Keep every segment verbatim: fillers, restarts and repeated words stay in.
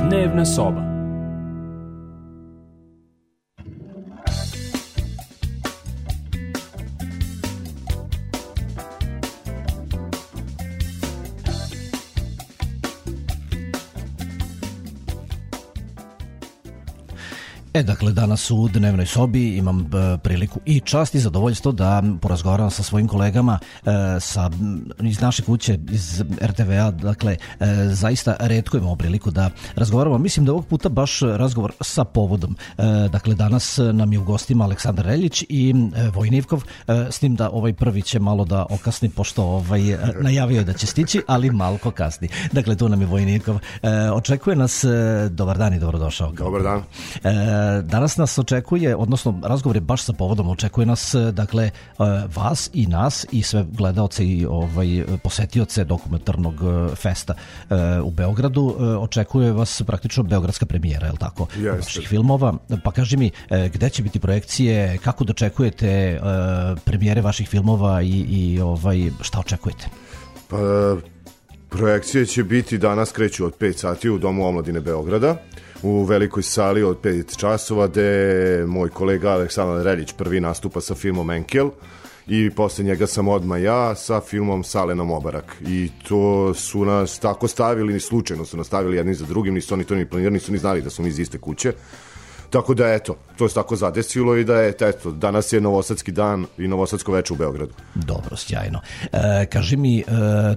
Dnevna soba. E, dakle, danas u Dnevnoj sobi imam e, priliku i čast i zadovoljstvo da porazgovaram sa svojim kolegama e, sa, iz naše kuće, iz er te ve a. Dakle, e, zaista retko imamo priliku da razgovaramo. Mislim da ovog puta baš razgovor sa povodom. E, dakle, danas nam je u gostima Aleksandar Reljić i e, Vojin Ivkov, e, s tim da ovaj prvi će malo da okasni, pošto ovaj, najavio je da će stići, ali malko kasni. Dakle, tu nam je Vojin Ivkov. E, očekuje nas, e, dobar dan i dobrodošao. Dobar dan. E, Danas nas očekuje, odnosno razgovor je baš sa povodom, očekuje nas, dakle, vas i nas i sve gledaoce i ovaj, posetioce dokumentarnog festa u Beogradu. Očekuje vas praktično beogradska premijera, je li tako? Jeste. Vaših filmova. Pa kaži mi, gde će biti projekcije, kako dočekujete premijere vaših filmova i, i ovaj, šta očekujete? Pa, projekcije će biti danas, kreću od pet sati u Domu omladine Beograda, u velikoj sali od pet časova, gde moj kolega Aleksandar Reljić prvi nastupa sa filmom Enkel i posle njega sam odmah ja sa filmom Salena Mobarak. I to su nas tako stavili, ni slučajno su nas stavili jedni za drugim, nisu oni to ni planirali, nisu ni znali da smo mi iz iste kuće. Tako da, eto, to je tako zadesilo i da je, eto, danas je Novosadski dan i Novosadsko veče u Beogradu. Dobro, sjajno. E, kaži mi, e,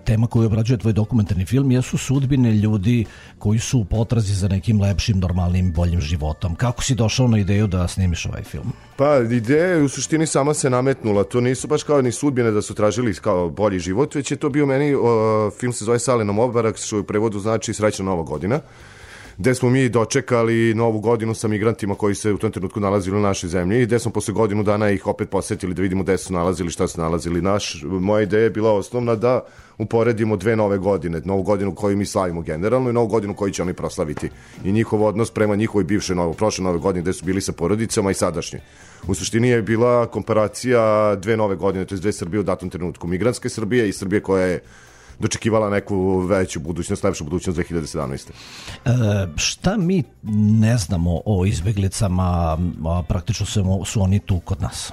tema koju obrađuje tvoj dokumentarni film jesu sudbine ljudi koji su u potrazi za nekim lepšim, normalnim, boljim životom. Kako si došao na ideju da snimiš ovaj film? Pa, ideja u suštini sama se nametnula. To nisu baš kao ni sudbine da su tražili kao bolji život, već je to bio meni, o, film se zove Salena Mobarak, što u prevodu znači Srećna nova godina, gde smo mi dočekali novu godinu sa migrantima koji se u tom trenutku nalazili u našoj zemlji i gde smo posle godinu dana ih opet posetili da vidimo gde su nalazili, šta su nalazili. Naš, moja ideja je bila osnovna da uporedimo dve nove godine, novu godinu koju mi slavimo generalno i novu godinu koju će oni proslaviti i njihov odnos prema njihovoj bivše novo, prošle nove godine gde su bili sa porodicama i sadašnje. U suštini je bila komparacija dve nove godine, to je dve Srbije u datom trenutku, migrantske Srbije i Srbije koja je dočekivala neku veću budućnost, lepšu budućnost dve hiljade sedamnaeste. E, šta mi ne znamo o izbeglicama, a praktično su, su oni tu kod nas?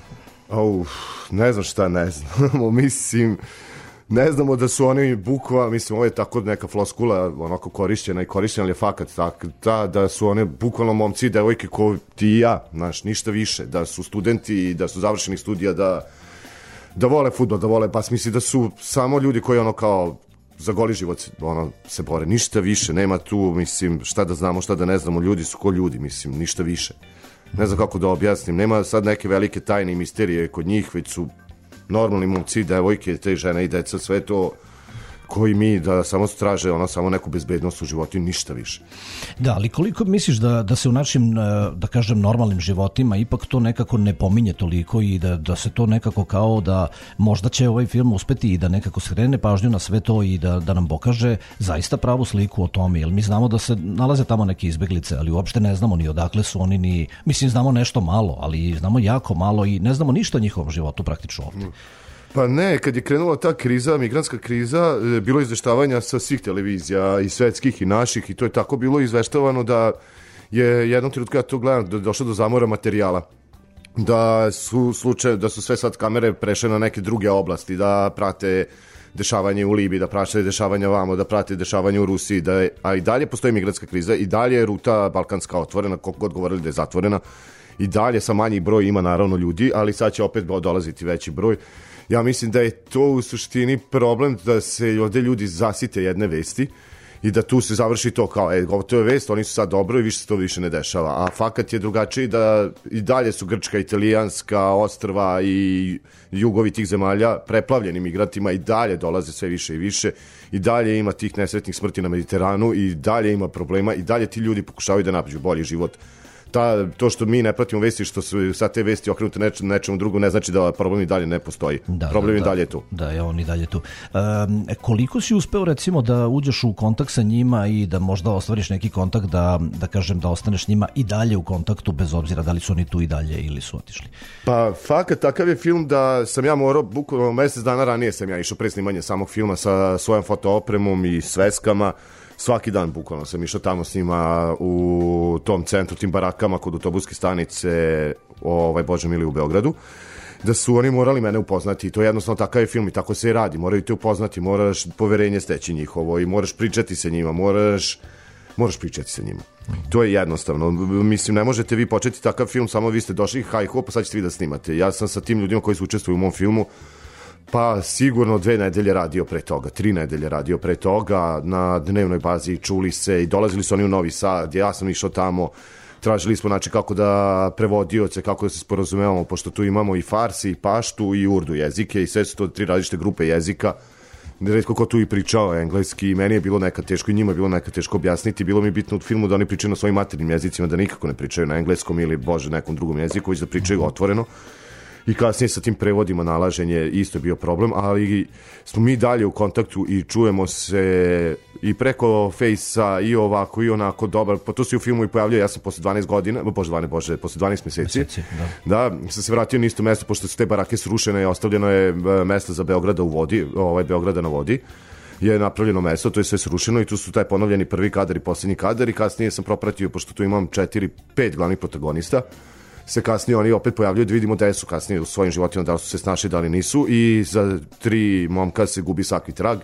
Oh, ne znam šta ne znamo, mislim, ne znamo da su oni bukva, mislim, ovo je tako neka floskula, onako korišćena i korišćena, ali je fakat tak, ta, da su one bukvalno momci i devojke ko ti i ja, znaš, ništa više, da su studenti, da su završeni studija, da da vole fudbal, da vole bas, misli da su samo ljudi koji ono kao za goli život ono, se bore, ništa više, nema tu, mislim, šta da znamo, šta da ne znamo, ljudi su ko ljudi, mislim, ništa više. Ne znam kako da objasnim, nema sad neke velike tajne i misterije kod njih, već su normalni momci, devojke, te žene i deca, sve to koji mi da samo traže ono, samo neku bezbednost u životu i ništa više. Da, ali koliko misliš da, da se u našim, da kažem, normalnim životima ipak to nekako ne pominje toliko i da, da se to nekako kao da možda će ovaj film uspeti i da nekako skrene pažnju na sve to i da, da nam pokaže zaista pravu sliku o tome, jer mi znamo da se nalaze tamo neke izbeglice, ali uopšte ne znamo ni odakle su oni, ni, mislim, znamo nešto malo, ali znamo jako malo i ne znamo ništa o njihovom životu praktično ovdje. Mm. Pa ne, kad je krenula ta kriza, migrantska kriza, bilo izveštavanja sa svih televizija i svetskih i naših i to je tako bilo izveštavano da je jednom trenutku, ja to gledam, da je došlo do zamora materijala. Da su slučaje, da su sve sad kamere prešle na neke druge oblasti, da prate dešavanje u Libiji, da prate dešavanja vamo, da prate dešavanje u Rusiji, da je, a i dalje postoji migrantska kriza, i dalje je ruta balkanska otvorena, koliko god govorili da je zatvorena, i dalje sa manji broj ima naravno ljudi, ali sad će opet dolaziti veći broj. Ja mislim da je to u suštini problem da se ovde ljudi zasite jedne vesti i da tu se završi to kao, e, to je vest, oni su sad dobro i više se to više ne dešava. A fakat je drugačiji da i dalje su Grčka, Italijanska, ostrva i jugovi tih zemalja preplavljeni migrantima, i dalje dolaze sve više i više, i dalje ima tih nesretnih smrti na Mediteranu, i dalje ima problema, i dalje ti ljudi pokušavaju da nađu bolji život. Ta, to što mi ne pratimo vesti, što su sad te vesti okrenute neč, nečemu drugu, ne znači da problem i dalje ne postoji. Da, problem da, i dalje je tu. Da, je on i dalje tu. Um, koliko si uspeo recimo da uđeš u kontakt sa njima i da možda ostvariš neki kontakt, da, da kažem da ostaneš s njima i dalje u kontaktu, bez obzira da li su oni tu i dalje ili su otišli? Pa fakat, takav je film da sam ja morao, bukvalno mesec dana ranije sam ja išao pre snimanje samog filma sa svojom fotoopremom i sveskama. svaki dan bukvalno sam išao tamo s njima u tom centru, tim barakama kod autobuske stanice, ovaj, Bože mili, u Beogradu, da su oni morali mene upoznati i to je jednostavno takav je film i tako se i radi, moraju te upoznati, moraš poverenje steći njihovo i moraš pričati sa njima, moraš, moraš pričati sa njima. To je jednostavno, mislim, ne možete vi početi takav film, samo vi ste došli, haj ho, pa sad ćete vi da snimate. Ja sam sa tim ljudima koji su učestvuju u mom filmu pa sigurno dve nedelje radio pre toga, tri nedelje radio pre toga, na dnevnoj bazi čuli se i dolazili su oni u Novi Sad, ja sam išao tamo, tražili smo znači kako da prevodioce, kako da se sporazumevamo, pošto tu imamo i farsi, i paštu, i urdu jezike i sve su to tri različite grupe jezika. Retko ko tu i pričao engleski, meni je bilo nekad teško i njima je bilo nekad teško objasniti, bilo mi je bitno u filmu da oni pričaju na svojim maternim jezicima, da nikako ne pričaju na engleskom ili, bože, nekom drugom jeziku, već da pričaju otvoreno. I kasnije sa tim prevodima nalaženje isto je bio problem, ali smo mi dalje u kontaktu i čujemo se i preko Fejsa i ovako i onako dobar, pa to se u filmu i pojavljaju, ja sam posle dvanaest godina, bože, dvanaest, bože, posle dvanaest meseci, meseci da. da, sam se vratio na isto mesto, pošto su te barake srušene i ostavljeno je mesto za Beograda u vodi, ovaj Beograda na vodi, je napravljeno mesto, to je sve srušeno i tu su taj ponovljeni prvi kadar i posljednji kadar i kasnije sam propratio, pošto tu imam četiri, pet glavnih protagonista, se kasnije oni opet pojavljaju da vidimo da su kasnije u svojim životima, da li su se snašli, da li nisu i za tri momka se gubi svaki trag,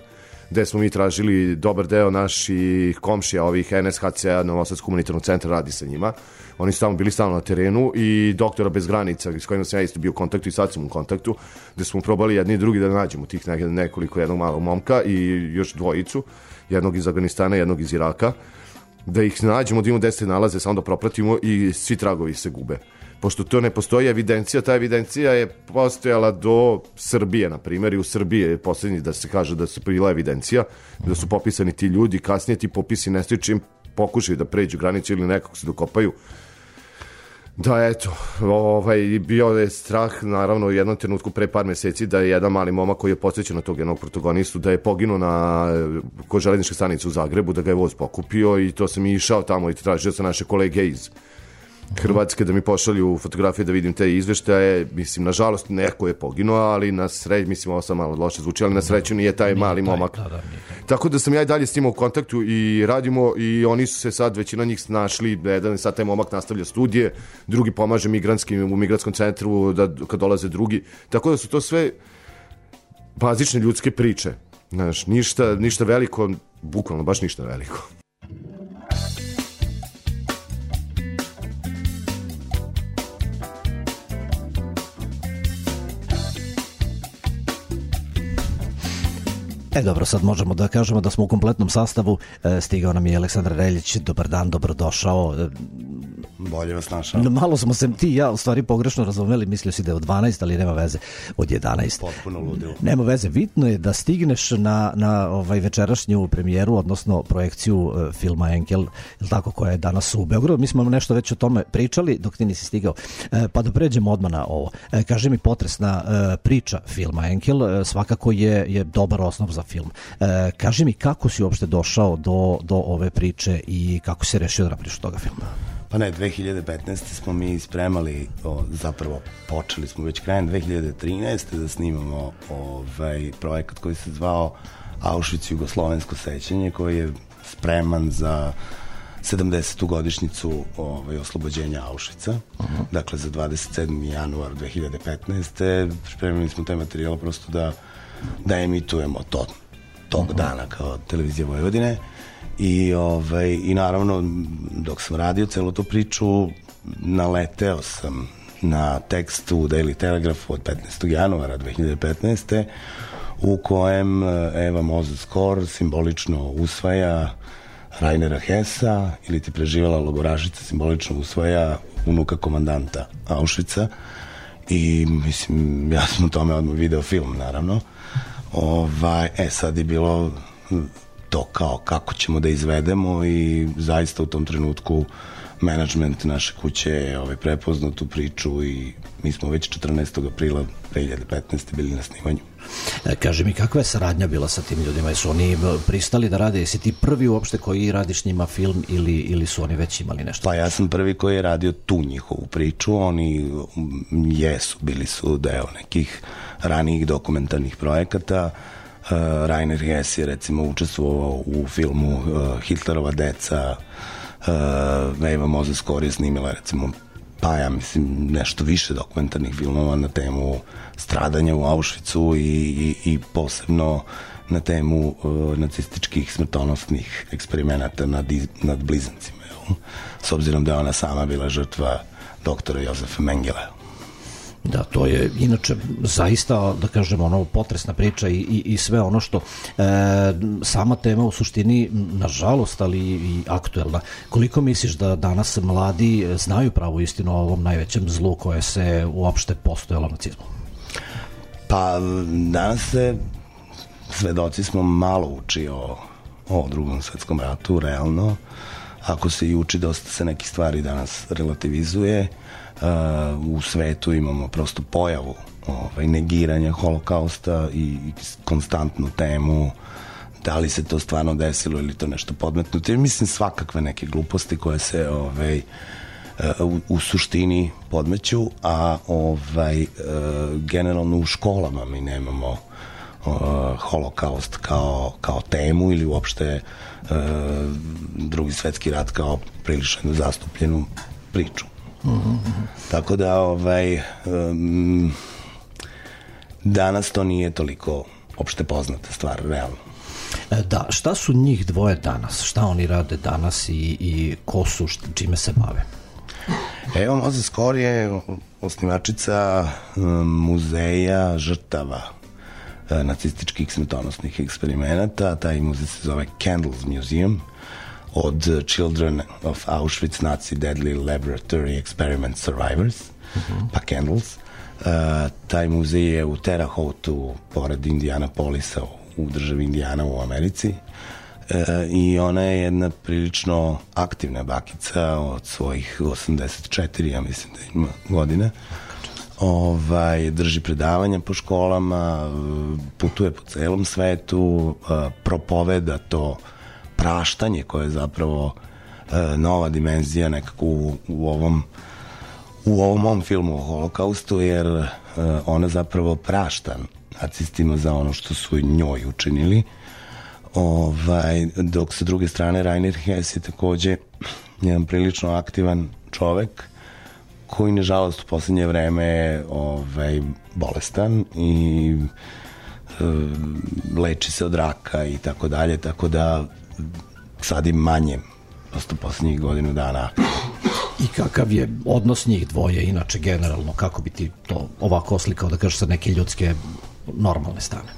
gde smo mi tražili dobar deo naših komšija, ovih N S H C-a, Novosadskog humanitarnog centra, radi sa njima. Oni su tamo bili stalno na terenu i doktora bez granica, s kojima sam ja isto bio u kontaktu i sad sam u kontaktu, gde smo probali jedni i drugi da nađemo tih nekoliko, jednog malog momka i još dvojicu, jednog iz Afganistana, jednog iz Iraka, da ih nađemo, da imamo gde se nalaze, samo da propratimo i svi tragovi se gube. Pošto to ne postoji evidencija, ta evidencija je postojala do Srbije, na primjer, i u Srbiji je posljednji da se kaže da se bila evidencija, da su popisani ti ljudi, kasnije ti popisi nestaju čim pokušaju da pređu granicu ili nekog se dokopaju. Da, eto, ovaj, bio je strah, naravno, u jednom trenutku pre par meseci da je jedan mali momak koji je posvećen na tog jednog protagonistu, da je poginuo na kod železničke stanice u Zagrebu, da ga je voz pokupio i to sam i išao tamo i tražio sa naše kolege iz Hrvatske da mi pošalju fotografije da vidim te izveštaje, mislim, nažalost neko je poginuo, ali na sreću, mislim, ovo sam malo loše zvuči, ali na sreću nije taj mali momak. Tako da sam ja i dalje s njima u kontaktu i radimo i oni su se sad, većina njih snašli, jedan je sad taj momak nastavlja studije, drugi pomaže migranskim u migranskom centru da, kad dolaze drugi, tako da su to sve bazične ljudske priče, znaš, ništa, ništa veliko, bukvalno baš ništa veliko. E dobro, sad možemo da kažemo da smo u kompletnom sastavu. E, stigao nam je Aleksandar Reljić. Dobar dan, dobrodošao. E, Bolje vas našao. Malo smo se ti i ja u stvari pogrešno razumeli, mislio si da je od dvanaest, ali nema veze, od jedanaest. Potpuno ludilo. Nema veze, bitno je da stigneš na, na ovaj večerašnju premijeru, odnosno projekciju uh, filma Enkel, ili tako, koja je danas u Beogradu. Mi smo nešto već o tome pričali dok ti nisi stigao. E, pa da pređemo odmah na ovo. E, kaži mi, potresna e, priča filma Enkel, e, svakako je, je dobar osnov za film. E, kaži mi, kako si uopšte došao do, do ove priče i kako si rešio da napriš toga filma? Pa ne, dve hiljade petnaeste smo mi spremali, o, zapravo počeli smo već krajem dve hiljade trinaeste da snimamo ovaj projekat koji se zvao Auschwitz jugoslovensko sećanje, koji je spreman za sedamdesetu godišnjicu ovaj, oslobođenja Auschwitza. Uh-huh. Dakle, za dvadeset sedmi januar dve hiljade petnaeste spremili smo taj materijal prosto da, da emitujemo to tog uh-huh. dana kao televizija Vojvodine. I, ovaj, i naravno, dok sam radio celu tu priču, naleteo sam na tekst u Daily Telegraphu od petnaestog januara dve hiljade petnaeste u kojem Eva Moses-Kor simbolično usvaja Rainera Hessa, ili ti preživjela logorašica simbolično usvaja unuka komandanta Auschwitza. I mislim, ja sam u tome odmah video film, naravno. Ovaj, e, sad je bilo to kao kako ćemo da izvedemo i zaista u tom trenutku menadžment naše kuće je ovaj, prepoznao tu priču i mi smo već četrnaestog aprila dve hiljade petnaeste bili na snimanju. E, kaži mi, kakva je saradnja bila sa tim ljudima? Jesu oni pristali da rade? Jesi ti prvi uopšte koji radiš njima film ili, ili su oni već imali nešto? Pa ja sam prvi koji je radio tu njihovu priču. Oni jesu, bili su deo nekih ranijih dokumentarnih projekata. Rainer Hess je recimo učestvovao u filmu uh, Hitlerova deca, uh, Eva Moses-Kor je snimila recimo pa ja mislim nešto više dokumentarnih filmova na temu stradanja u Auschwitzu i, i, i posebno na temu uh, nacističkih smrtonosnih eksperimenata nad, nad blizancima, jel? S obzirom da je ona sama bila žrtva doktora Jozefa Mengela. Da, to je inače zaista, da kažem, ono, potresna priča i, i, i sve ono što e, sama tema u suštini, nažalost, ali i aktuelna. Koliko misliš da danas mladi znaju pravu istinu o ovom najvećem zlu koje se uopšte postojalo nacizmu? Pa danas se svedoci smo malo uči o, o drugom svetskom ratu, realno. Ako se i uči, dosta se neki stvari danas relativizuje. Uh, u svetu imamo prosto pojavu ovaj, negiranja holokausta i, i konstantnu temu da li se to stvarno desilo ili to nešto podmetnuto. I mislim svakakve neke gluposti koje se ovaj, uh, u, u suštini podmeću, a ovaj, uh, generalno u školama mi nemamo uh, holokaust kao, kao temu ili uopšte uh, drugi svetski rat kao prilično zastupljenu priču. Mm-hmm. Tako da ovaj um, danas to nije toliko opšte poznata stvar, realno. Da, šta su njih dvoje danas? Šta oni rade danas i, i ko su, šta, čime se bave? Evo, Moses-Kor je osnivačica um, muzeja žrtava uh, nacističkih smrtonosnih eksperimenata. Taj muzej se zove Candles Museum, od Children of Auschwitz Nazi Deadly Laboratory Experiment Survivors, uh-huh. pa Candles. Uh, taj muzej je u Terre Haute-u, pored Indianapolisa, u državi Indijana u Americi. Uh, I ona je jedna prilično aktivna bakica od svojih osamdeset četiri, ja mislim da ima godina. Ovaj, drži predavanja po školama, putuje po celom svetu, uh, propoveda to praštanje koje je zapravo e, nova dimenzija nekako u, u ovom u ovom mom filmu o holokaustu, jer e, ona zapravo prašta nacistima za ono što su njoj učinili. Ovaj, dok sa druge strane Rainer Hess je takođe jedan prilično aktivan čovek koji nažalost u poslednje vreme je ovaj, bolestan i e, leči se od raka i tako dalje, tako da sad im manje prosto poslednjih godinu dana. I kakav je odnos njih dvoje inače generalno, kako bi ti to ovako oslikao, da kažeš, sa neke ljudske normalne strane?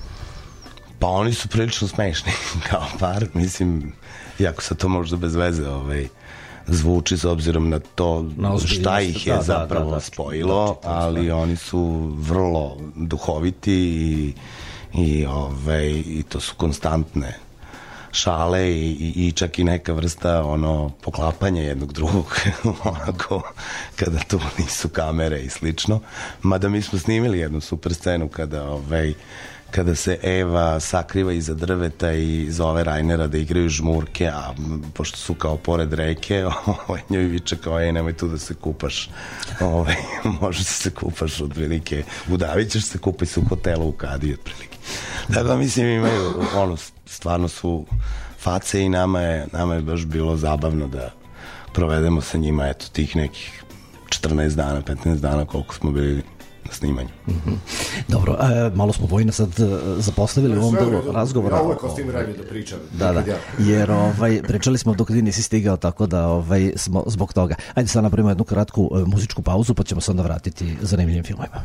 Pa oni su prilično smešni kao par, mislim, iako se to možda bez veze ovaj, zvuči s obzirom na to na šta ih je da, zapravo da, da, da, spojilo, da, ali oni su vrlo duhoviti i, i, ovaj, i to su konstantne šale i, i, i čak i neka vrsta ono poklapanja jednog drugog onako kada tu nisu kamere i slično. Mada mi smo snimili jednu super scenu kada ovaj kada se Eva sakriva iza drveta i zove Rainera da igraju žmurke, a pošto su kao pored reke, ovaj, njoj viče kao, ej, nemoj tu da se kupaš, ovaj, možeš da se kupaš otprilike, udavit ćeš se, kupaj se u hotelu u Kadiji otprilike. Tako da mislim imaju, ono, stvarno su face i nama je, nama je baš bilo zabavno da provedemo sa njima, eto, tih nekih četrnaest dana, petnaest dana koliko smo bili na snimanju. Mm-hmm. Dobro, e, malo smo Vojina sad zapostavili u ovom delu razgovora. Ja uvek ostim vreme da pričam. Da, da, jer ovaj, pričali smo dok ti nisi stigao, tako da ovaj, smo zbog toga. Ajde sad napravimo jednu kratku e, muzičku pauzu, pa ćemo se onda vratiti zanimljivim filmovima.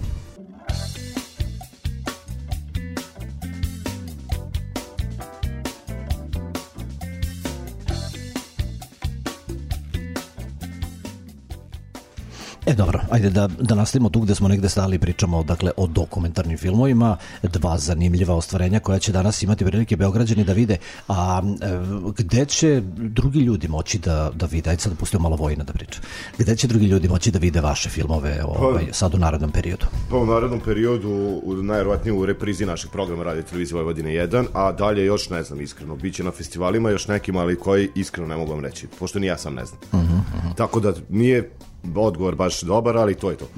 E dobro, ajde da, da nastavimo tu gde smo negde stali i pričamo dakle, o dokumentarnim filmovima, dva zanimljiva ostvarenja koja će danas imati prilike Beograđani da vide, a e, gde će drugi ljudi moći da, da vide, ajde sad da pustimo malo Vojina da priča, gde će drugi ljudi moći da vide vaše filmove ovaj, pa, sad u narednom periodu? Pa u narednom periodu, u, najverovatnije u reprizi našeg programa Radio Televizije Vojvodine jedan, a dalje još ne znam iskreno, bit će na festivalima još nekim, ali koji iskreno ne mogu vam reći, pošto ni ja sam ne znam. Uh-huh, uh-huh. Tako da nije odgovor baš dobar, ali to je to.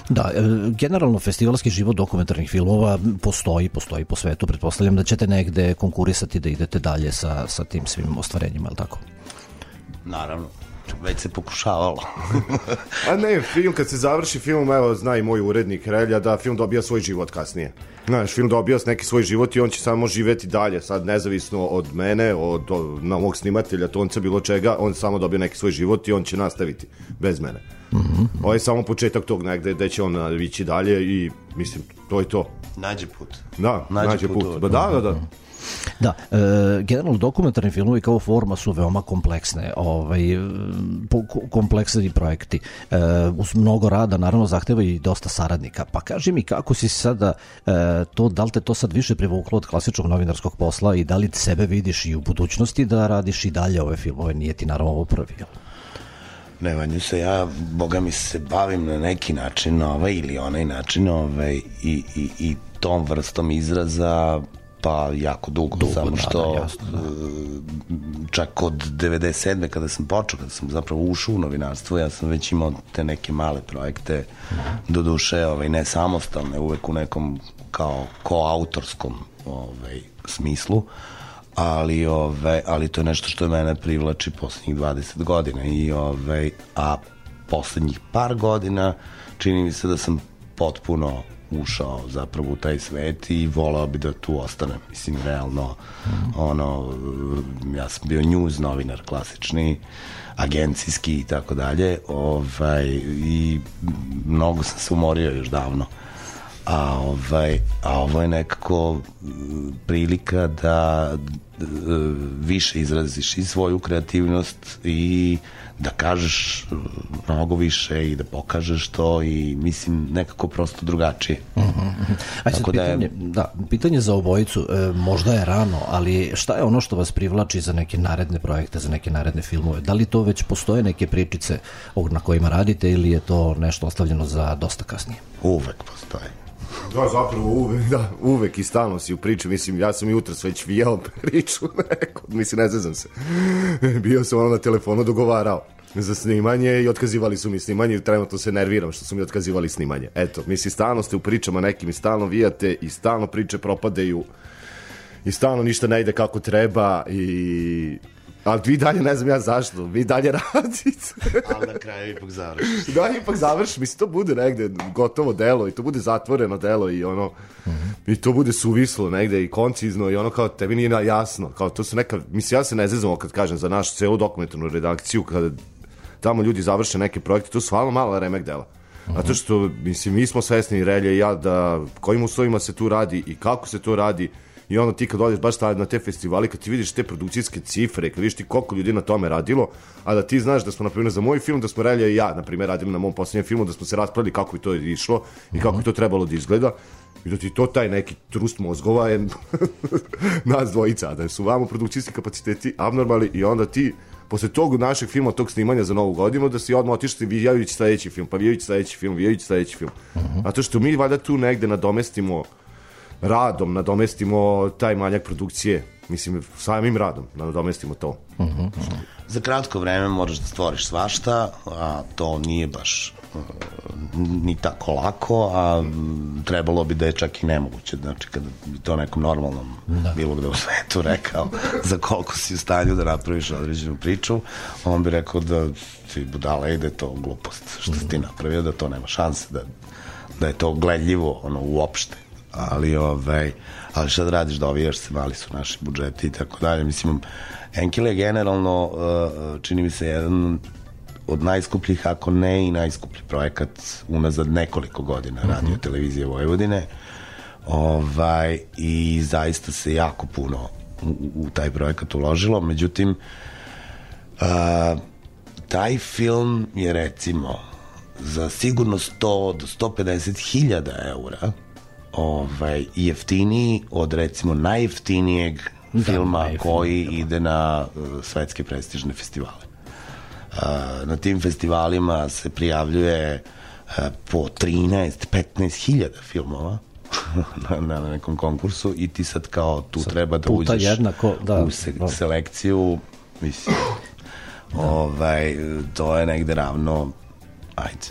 Da, generalno festivalski život dokumentarnih filmova postoji, postoji po svetu. Pretpostavljam da ćete negde konkurisati da idete dalje sa, sa tim svim ostvarenjima, je li tako? Naravno, već se pokušavalo. A ne, film, kad se završi film, evo, zna i moj urednik Relja, da film dobija svoj život kasnije. Znaš, film dobija neki svoj život i on će samo živeti dalje, sad nezavisno od mene, od, od na mog snimatelja, tonca, bilo čega, on samo dobija neki svoj život i on će nastaviti bez mene. Mm-hmm. Ovo je samo početak tog negde gde će on ići dalje i mislim, to je to. Nađe put. Da, nađe, nađe put. put. Ba, da, da, da. Da, e, generalno dokumentarni filmovi kao forma su veoma kompleksne, ovaj, po, kompleksni projekti. E, uz mnogo rada, naravno, zahteva i dosta saradnika. Pa kaži mi, kako si sada, e, to, da li te to sad više privuklo od klasičnog novinarskog posla i da li sebe vidiš i u budućnosti da radiš i dalje ove filmove? Nije ti naravno ovo prvi, jel? Ne, vanju se ja, boga mi se bavim na neki način ovaj ili onaj način ovaj, i, i, i tom vrstom izraza pa jako dugo, dugo samo što da, jasno, da. Čak od devedeset sedme kada sam počeo, kada sam zapravo ušao u novinarstvo, ja sam već imao te neke male projekte, mm-hmm. do duše ovaj, ne samostalne, uvek u nekom kao koautorskom ovaj, smislu, ali, ovaj, ali to je nešto što mene privlači poslednjih dvadeset godina i, ovaj, a poslednjih par godina čini mi se da sam potpuno ušao zapravo u taj svet i volao bi da tu ostanem. Mislim, realno, mm. ono, ja sam bio news novinar klasični, agencijski i tako dalje, ovaj, i mnogo sam se umorio još davno. A, ovaj, a ovo je nekako prilika da više izraziš i svoju kreativnost i da kažeš mnogo više i da pokažeš to i mislim nekako prosto drugačije. Mm-hmm. A sad pitanje, da, je... da, pitanje za obojicu, e, možda je rano, ali šta je ono što vas privlači za neke naredne projekte, za neke naredne filmove? Da li to već postoje neke pričice na kojima radite ili je to nešto ostavljeno za dosta kasnije? Uvek postoje. Da, zapravo uvek, da, uvek i stalno si u priči, mislim, ja sam jutros već vijao priču neko, mislim, ne znam se, bio sam ono na telefonu dogovarao za snimanje i otkazivali su mi snimanje i trenutno se nerviram što su mi otkazivali snimanje, eto, mislim, stalno ste u pričama nekim i stalno vijate i stalno priče propadaju i stalno ništa ne ide kako treba i... Ali vi dalje, ne znam ja zašto, vi dalje radite. Ali na kraju ipak završiš. Da, ipak završiš, mislim, to bude negde gotovo delo i to bude zatvoreno delo i ono, mm-hmm. i to bude suvislo negde i koncizno i ono kao tebi nije jasno, kao to su neka, mislim, ja se ne zezamo kad kažem za našu celu dokumentarnu redakciju, kada tamo ljudi završe neke projekte, to su stvarno mala remek dela. Mm-hmm. Zato što, mislim, mi smo svesni, Relja i ja, da kojim uslovima se tu radi i kako se to radi. I onda ti kad odeš baš na te festivali, kad ti vidiš te produkcijske cifre, kad vidiš ti koliko ljudi na tome radilo, a da ti znaš da smo, na primjer, za moj film, da smo Relja i ja, na primjer, radili na mom posljednjem filmu, da smo se raspravili kako bi to išlo i kako bi to trebalo da izgleda, i da ti to taj neki trust mozgova je nas dvojica, da su vamo produkcijski kapaciteti abnormalni i onda ti, posle tog našeg filma, tog snimanja za novu godinu, da si odmah otišli vijajući sledeći film, pa vijajući sledeći film, vijajući sledeći film. Zato što mi valjda tu negde nadomestimo radom, nadomestimo taj manjak produkcije, mislim, samim radom nadomestimo to. Uh-huh. Za kratko vreme moraš da stvoriš svašta, a to nije baš uh, ni tako lako, a trebalo bi da je čak i nemoguće, znači kada bi to nekom normalnom da. bilo gde u svetu rekao za koliko si u stanju da napraviš određenu priču, on bi rekao da si budala i da je to glupost što si ti napravio, da to nema šanse, da, da je to gledljivo ono uopšte. Ali, ovaj, ali šta da radiš, dovijaš se, mali su naši budžeti i tako dalje. Mislim, Enkele je generalno, uh, čini mi se, jedan od najskupljih, ako ne i najskuplji projekat unazad nekoliko godina mm-hmm. Radio Televizije Vojvodine. Ovaj, i zaista se jako puno u, u taj projekat uložilo. Međutim, uh, taj film je, recimo, za sigurno sto do sto pedeset hiljada eura ovaj, jeftiniji od, recimo, najjeftinijeg da, filma najjeftiniji, koji da. ide na uh, svetske prestižne festivale. Uh, na tim festivalima se prijavljuje uh, po trinaest do petnaest hiljada filmova na, na nekom konkursu i ti sad kao tu sad treba da uđeš jednako, da, u se, da. selekciju, mislim, da. ovaj, to je negde ravno, ajde,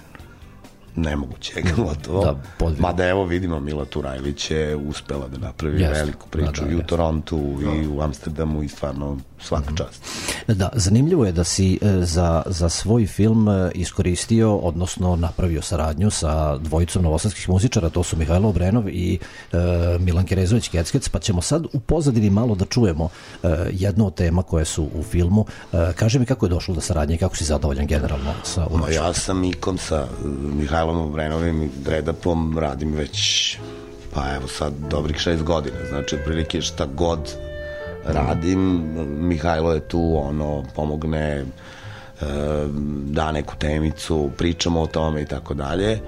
nemoguće, gotovo. Da, podvijek. Mada evo vidimo, Mila Turajlić je uspela da napravi Jeste. veliku priču Da, da, i u jeste. Torontu i u Amsterdamu i stvarno svaka čast. Da, zanimljivo je da si e, za, za svoj film e, iskoristio, odnosno napravio saradnju sa dvojicom novosadskih muzičara, to su Mihajlo Obrenov i e, Milan Kerezović Keckec, pa ćemo sad u pozadini malo da čujemo e, jednu od tema koje su u filmu. E, kaži mi kako je došlo do saradnje i kako si zadovoljan generalno sa Ma unošom? ja sam ikom sa uh, Mihajlom Obrenovim i Dredapom radim već, pa evo sad, dobrih šest godina. Znači, otprilike šta god radim, Mihajlo je tu, ono, pomogne, uh, da neku temicu, pričamo o tome i tako dalje.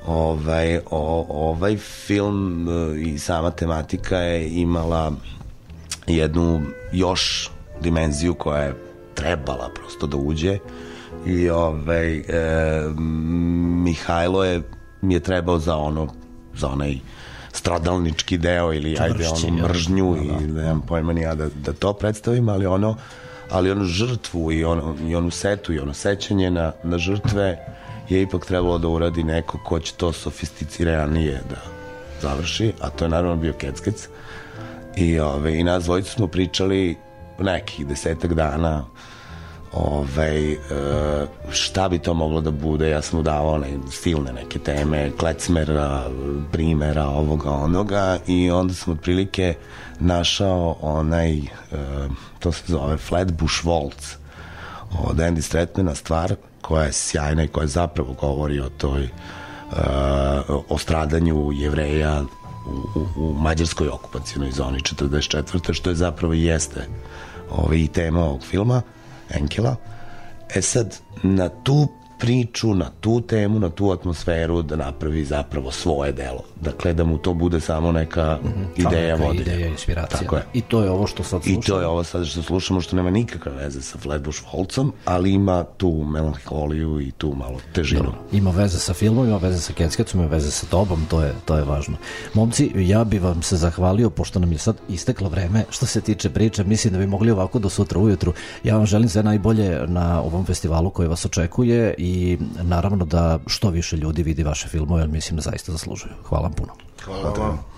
Ovaj, o, ovaj film uh, i sama tematika je imala jednu još dimenziju koja je trebala prosto da uđe i ovaj, e, Mihajlo je, mi je trebao za ono, za onaj stradalnički deo ili Čvršći, ajde ono ja. mržnju Da, da. i nemam pojma ni ja da, da to predstavim, ali ono ali onu žrtvu i, ono, i onu setu i ono sećanje na, na žrtve je ipak trebalo da uradi neko ko će to sofisticiranije da završi, a to je naravno bio Keckec i, ove, i nas dvojicu smo pričali nekih desetak dana ovaj, e, šta bi to moglo da bude. Ja sam udavao ne, silne neke teme, klecmera, primera, ovoga, onoga i onda sam otprilike našao onaj, e, to se zove Flatbush Waltz od Andy Stratmana, stvar koja je sjajna i koja zapravo govori o toj e, o stradanju Jevreja u, u, u mađarskoj okupacionoj zoni četrdeset četvrte što je zapravo i jeste ovaj, i tema ovog filma Enkela. E sad, na tu priču, na tu temu, na tu atmosferu da napravi zapravo svoje delo. Dakle, da mu to bude samo neka mm-hmm. ideja neka vodilja. Ideja, inspiracija. Tako je. I to je ovo što sad slušamo. I to je ovo sad što slušamo, što nema nikakve veze sa Flatbush Waltzom, ali ima tu melanholiju i tu malo težinu. Dobro. Ima veze sa filmom, ima veze sa Keckecom, ima veze sa tobom, to je, to je važno. Momci, ja bi vam se zahvalio, pošto nam je sad isteklo vreme što se tiče priče, mislim da bi mogli ovako do sutra ujutru. Ja vam želim sve najbolje na ovom festivalu koji vas očekuje i naravno da što više ljudi vidi vaše filmove, jer mislim da zaista zaslužuju. Hvala vam puno. Hvala vam.